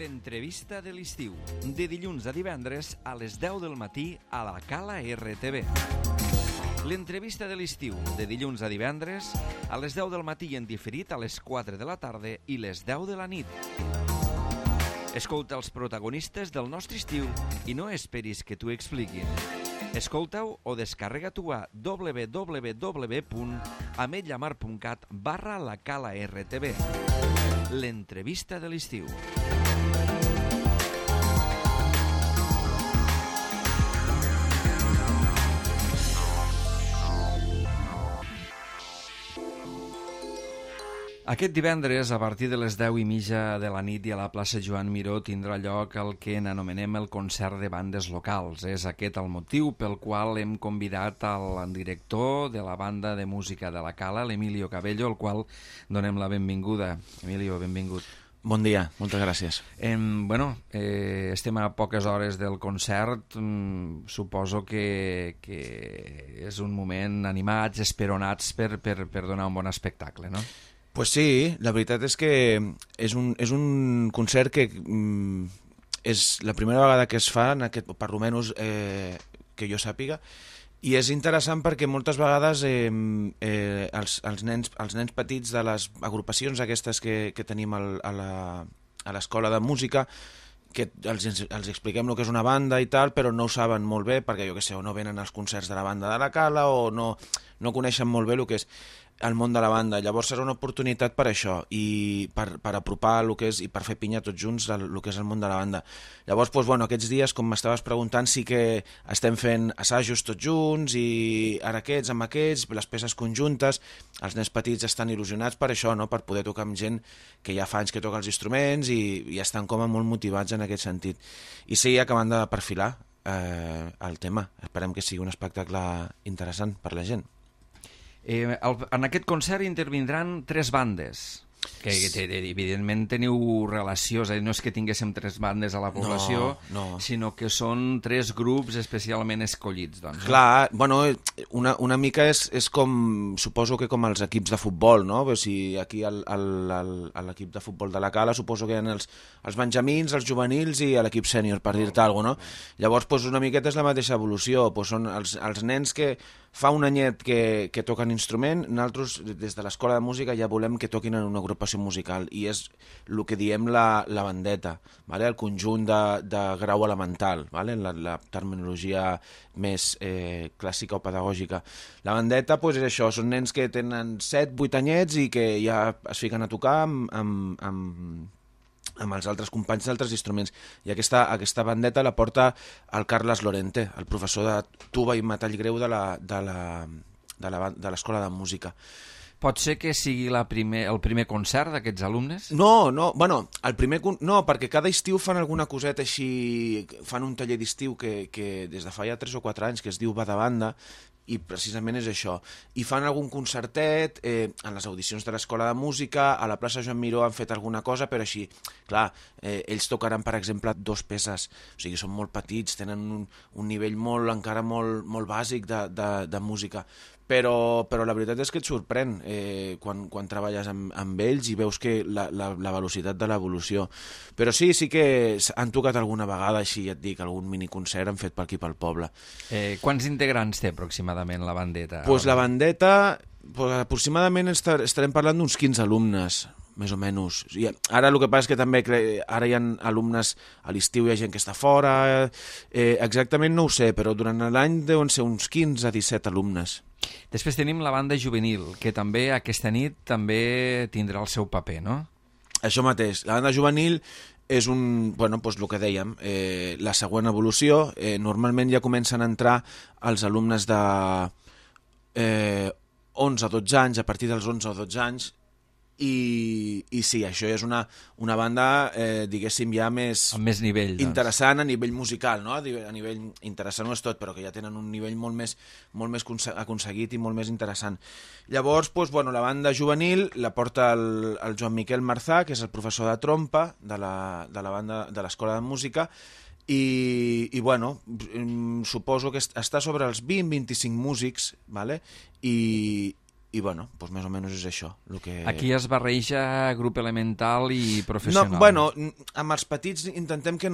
L'entrevista de l'estiu, de dilluns a divendres a les 10 del matí a la Cala RTV. L'entrevista de l'estiu, de dilluns a divendres a les 10 del matí i en diferit a les 4 de la tarda i les 10 de la nit. Escolta els protagonistes del nostre estiu i no esperis que t'ho expliquin. Escolta-ho o descarrega-t'ho a www.ametlllamar.cat/la Cala RTV. L'entrevista de l'estiu. Aquest divendres, a partir de les 10:30 de la nit i a la plaça Joan Miró tindrà lloc el que n'anomenem el concert de bandes locals. És aquest el motiu pel qual hem convidat al director de la banda de música de la Cala, l'Emilio Cabello, al qual donem la benvinguda. Emilio, benvingut. Bon dia, moltes gràcies. Estem a poques hores del concert. Suposo que és un moment animats, esperonats per donar un bon espectacle, no? Pues sí, la veritat és que és un concert que és la primera vegada que es fa, en aquest, per almenys que jo sàpiga, i és interessant perquè moltes vegades els nens petits de les agrupacions aquestes que tenim a l'escola de música, que els expliquem el que és una banda i tal, però no ho saben molt bé perquè, jo què sé, o no venen als concerts de la banda de la Cala o no coneixen molt bé el que és el món de la banda. Llavors serà una oportunitat per això i per apropar el que és i per fer pinya tots junts el que és el món de la banda. Llavors, aquests dies, com m'estaves preguntant, sí que estem fent assajos tots junts i ara aquests amb aquests, les peces conjuntes. Els nens petits estan il·lusionats per això, no? Per poder tocar amb gent que ja fa anys que toca els instruments i estan com a molt motivats en aquest sentit. I sí, acabant de perfilar el tema. Esperem que sigui un espectacle interessant per la gent. En aquest concert intervindran 3 bandes, que evidentment teniu relació, és a dir, no és que tinguéssim 3 bandes a la població, sinó que són 3 grups especialment escollits. Doncs, clar, una mica és com, suposo que com els equips de futbol, no? Si aquí a l'equip de futbol de la Cala suposo que hi ha els benjamins, els juvenils i l'equip sènior, per dir-te alguna cosa, no? Llavors, una miqueta és la mateixa evolució, són els nens que fa un anyet que toquen instrument, nosaltres des de l'escola de música ja volem que toquin en una agrupació musical i és el que diem la bandeta, vale? El conjunt de grau elemental, vale? La terminologia més clàssica o pedagògica. La bandeta és això, són nens que tenen 7-8 anyets i que ja es fiquen a tocar amb els altres companys d'altres instruments. I aquesta bandeta la porta el Carles Lorente, el professor de tuba i metall greu de l'escola de música. Pot ser que sigui el primer concert d'aquests alumnes? No, perquè cada estiu fan alguna coseta així, fan un taller d'estiu que des de fa ja 3 o 4 anys que es diu Va de Banda, i precisament és això. I fan algun concertet en les audicions de l'escola de música, a la plaça Joan Miró han fet alguna cosa, però així, clar, ells tocaran, per exemple, 2 peces, o sigui, són molt petits, tenen un nivell encara molt bàsic de música, però la veritat és que et sorprèn quan treballes amb ells i veus que la velocitat de l'evolució. Però sí que han tocat alguna vegada, així ja et dic, algun miniconcert han fet per aquí pel poble. Quants integrants té aproximadament la bandeta? La bandeta, aproximadament estarem parlant d'uns 15 alumnes, més o menys. I ara el que passa és que també ara hi ha alumnes a l'estiu, hi ha gent que està fora, exactament no ho sé, però durant l'any deuen ser uns 15 a 17 alumnes. Després tenim la banda juvenil, que també aquesta nit també tindrà el seu paper, no? Això mateix, la banda juvenil és el que dèiem, la següent evolució. Normalment ja comencen a entrar els alumnes de 11 a 12 anys, a partir dels 11 o 12 anys, i sí, això és una banda, diguéssim, ja més... Amb més nivell, doncs. Interessant a nivell musical, no? A nivell interessant no és tot, però que ja tenen un nivell molt més aconseguit i molt més interessant. Llavors, la banda juvenil la porta el Joan Miquel Marzà, que és el professor de trompa de la banda de l'escola de música, i suposo que està sobre els 20-25 músics, vale? I bueno, doncs més o menys és això. Aquí es barreja grup elemental i professional. No, bueno, amb els petits intentem que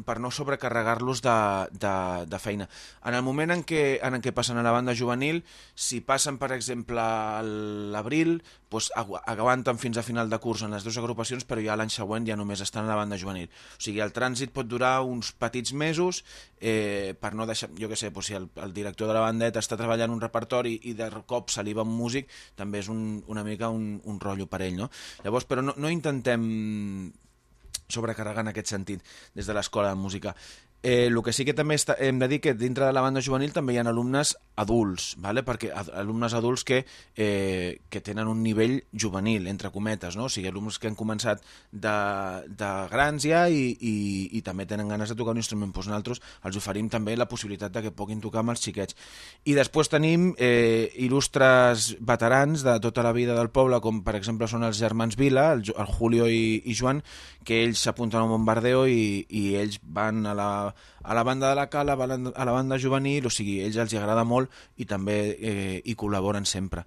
per no sobrecarregar-los de feina. En el moment en què passen a la banda juvenil, si passen, per exemple, a l'abril, doncs aguanten fins a final de curs en les dues agrupacions, però ja l'any següent ja només estan a la banda juvenil. O sigui, el trànsit pot durar uns petits mesos per no deixar, jo què sé, doncs si el director de la bandeta està treballant un repertori i de cop se li va un músic, també és una mica un rotllo per ell, no? Llavors, però no intentem sobrecarregar en aquest sentit des de l'escola de música. El que sí que també hem de dir que dintre de la banda juvenil també hi ha alumnes adults, ¿vale? Perquè alumnes adults que tenen un nivell juvenil, entre cometes, no? O sigui, alumnes que han començat de grans ja i també tenen ganes de tocar un instrument. Doncs nosaltres els oferim també la possibilitat de que puguin tocar amb els xiquets. I després tenim il·lustres veterans de tota la vida del poble, com per exemple són els germans Vila, el Julio i Joan, que ells s'apunten a un bombardeo i ells van a la banda de la Cala, a la banda juvenil, o sigui, ells els agrada molt i també hi col·laboren sempre.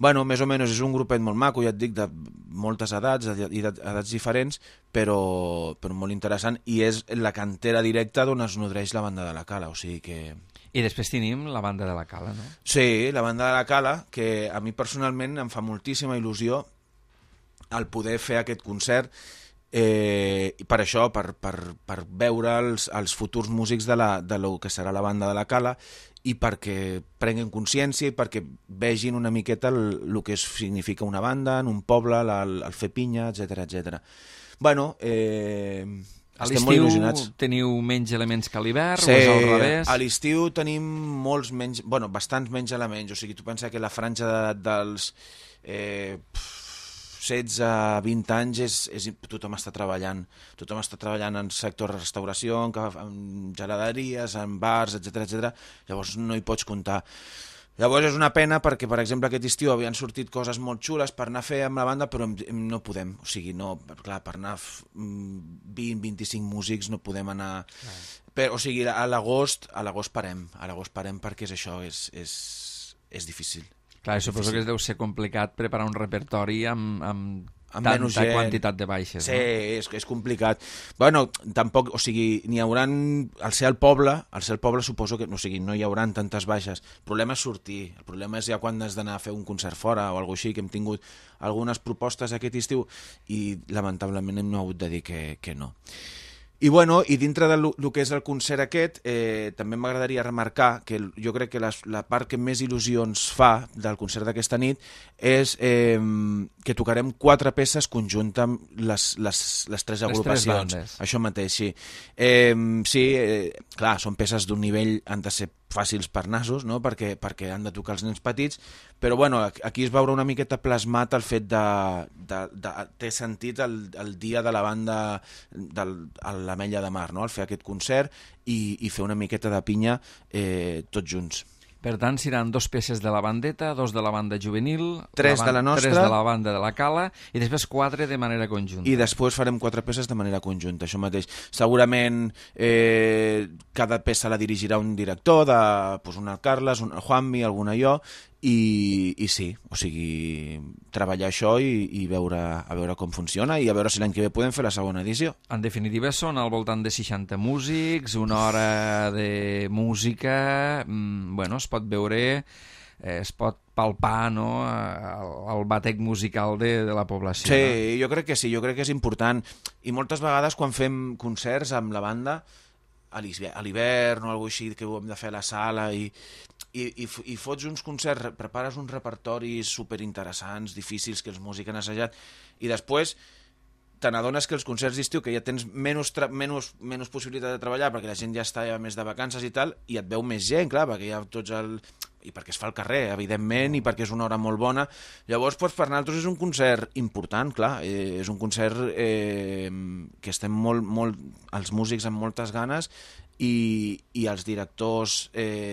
Bueno, més o menys és un grupet molt maco, ja et dic, de moltes edats, edats diferents, però molt interessant, i és la cantera directa d'on es nodreix la banda de la Cala, o sigui que... I després tenim la banda de la Cala, no? Sí, la banda de la Cala, que a mi personalment em fa moltíssima il·lusió el poder fer aquest concert, i per això, per veure els futurs músics de lo que serà la banda de la Cala, i perquè prenguin consciència i perquè vegin una miqueta el que significa una banda en un poble, el fer pinya, etc. Bueno, estem molt il·lusionats. A l'estiu teniu menys elements que a l'hivern, sí, o és al revés? A l'estiu tenim bastants menys elements, o sigui, tu pensa que la franja d'edat dels 16 a 20 anys tothom està treballant en sector de restauració, en geladeries, en bars, etc. Llavors no hi pots comptar. Llavors és una pena perquè, per exemple, aquest estiu havien sortit coses molt xules per anar a fer amb la banda, però no podem, o sigui, clar, per anar 20-25 músics no podem anar... O sigui, a l'agost parem perquè és això, és difícil. Clar, suposo que deu ser complicat preparar un repertori amb tanta quantitat de baixes. Sí, no? és complicat. Bueno, tampoc, o sigui, n'hi hauran... Al ser el poble suposo que, o sigui, no hi hauran tantes baixes. El problema és sortir, el problema és ja quan has d'anar a fer un concert fora o alguna cosa així, que hem tingut algunes propostes aquest estiu i lamentablement hem hagut de dir que no. I bueno, i dintre del que és el concert aquest, també m'agradaria remarcar que jo crec que la part que més il·lusió ens fa del concert d'aquesta nit és que tocarem 4 peces conjuntes amb les 3 agrupacions. Això mateix, sí. Clar, són peces d'un nivell, han de ser fàcils per nassos, no? perquè han de tocar els nens petits, però bueno, aquí es veurà una miqueta plasmat el fet té sentit el dia de la banda a l'Ametlla de Mar, no? El fer aquest concert i fer una miqueta de pinya tots junts. Per tant, seran 2 peces de la bandeta, 2 de la banda juvenil, 3 de la nostra, 3 de la banda de la Cala i després 4 de manera conjunta. I després farem 4 peces de manera conjunta, això mateix. Segurament cada peça la dirigirà un director, un el Carles, un el Juanmi, alguna jo, i sí, o sigui, treballar això i a veure com funciona i a veure si l'any que ve podem fer la segona edició. En definitiva són al voltant de 60 músics, 1 hora de música, bueno, es pot veure, es pot palpar, no?, el batec musical de la població. Sí, no? Jo crec que sí, jo crec que és important, i moltes vegades quan fem concerts amb la banda a l'hivern o alguna cosa així que ho hem de fer a la sala i fots uns concerts, prepares uns repertoris superinteressants, difícils, que els músics han assajat, i després te n'adones que els concerts d'estiu, que ja tens menys possibilitat de treballar perquè la gent ja està més de vacances i tal, i et veu més gent, clar, perquè hi ha tots i perquè es fa al carrer, evidentment, i perquè és una hora molt bona. Llavors, per nosaltres és un concert important, clar, és un concert que estem molt els músics amb moltes ganes i els directors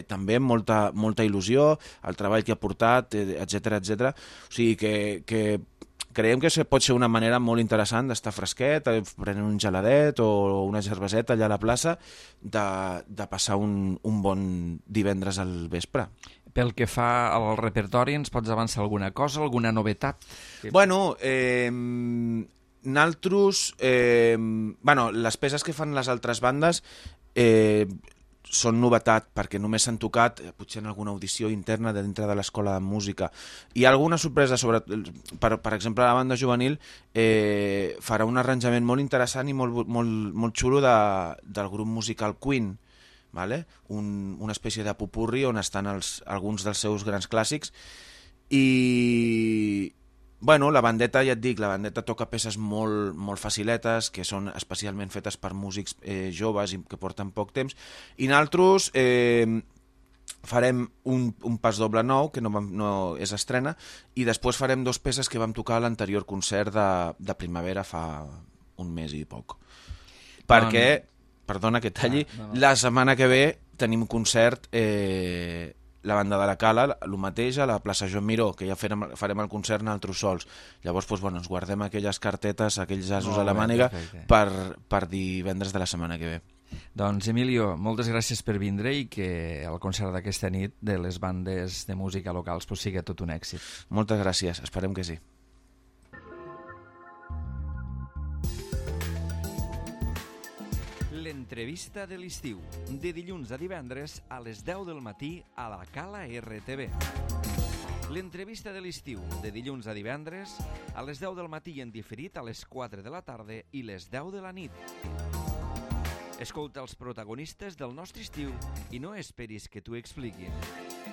també amb molta il·lusió, el treball que ha portat, etc. O sigui que creiem que pot ser una manera molt interessant d'estar fresquet, prenent un geladet o una cerveseta allà a la plaça, de passar un bon divendres al vespre. Pel que fa al repertori, ens pots avançar alguna cosa, alguna novetat? Bueno, naltros... les peces que fan les altres bandes són novetat, perquè només s'han tocat potser en alguna audició interna de dintre de l'escola de música. Hi ha alguna sorpresa sobre... Per exemple, la banda juvenil farà un arranjament molt interessant i molt xulo del grup musical Queen, vale? Una espècie de popurri on estan alguns dels seus grans clàssics. I... Bueno, la bandeta, ja et dic, la bandeta toca peces molt faciletes, que són especialment fetes per músics joves i que porten poc temps, i nosaltres farem un pas doble nou, que no és estrena, i després farem 2 peces que vam tocar a l'anterior concert de primavera fa un mes i poc. Perquè, perdona que talli, la setmana que ve tenim concert... la banda de la Cala, el mateix a la plaça Joan Miró, que ja farem el concert nosaltres sols. Llavors ens guardem aquelles cartetes, aquells asos a la màniga per divendres de la setmana que ve. Doncs Emilio, moltes gràcies per vindre i que el concert d'aquesta nit de les bandes de música locals sigui tot un èxit. Moltes gràcies, esperem que sí. L'entrevista de l'estiu, de dilluns a divendres a les 10 del matí a la Cala RTV. L'entrevista de l'estiu, de dilluns a divendres a les 10 del matí i en diferit a les 4 de la tarda i les 10 de la nit. Escolta els protagonistes del nostre estiu i no esperis que t'ho expliquin.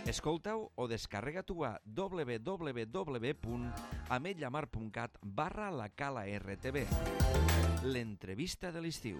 Escolta-ho o descarrega-t'ho a www.ametlllamar.cat/la Cala RTV. L'entrevista de l'estiu.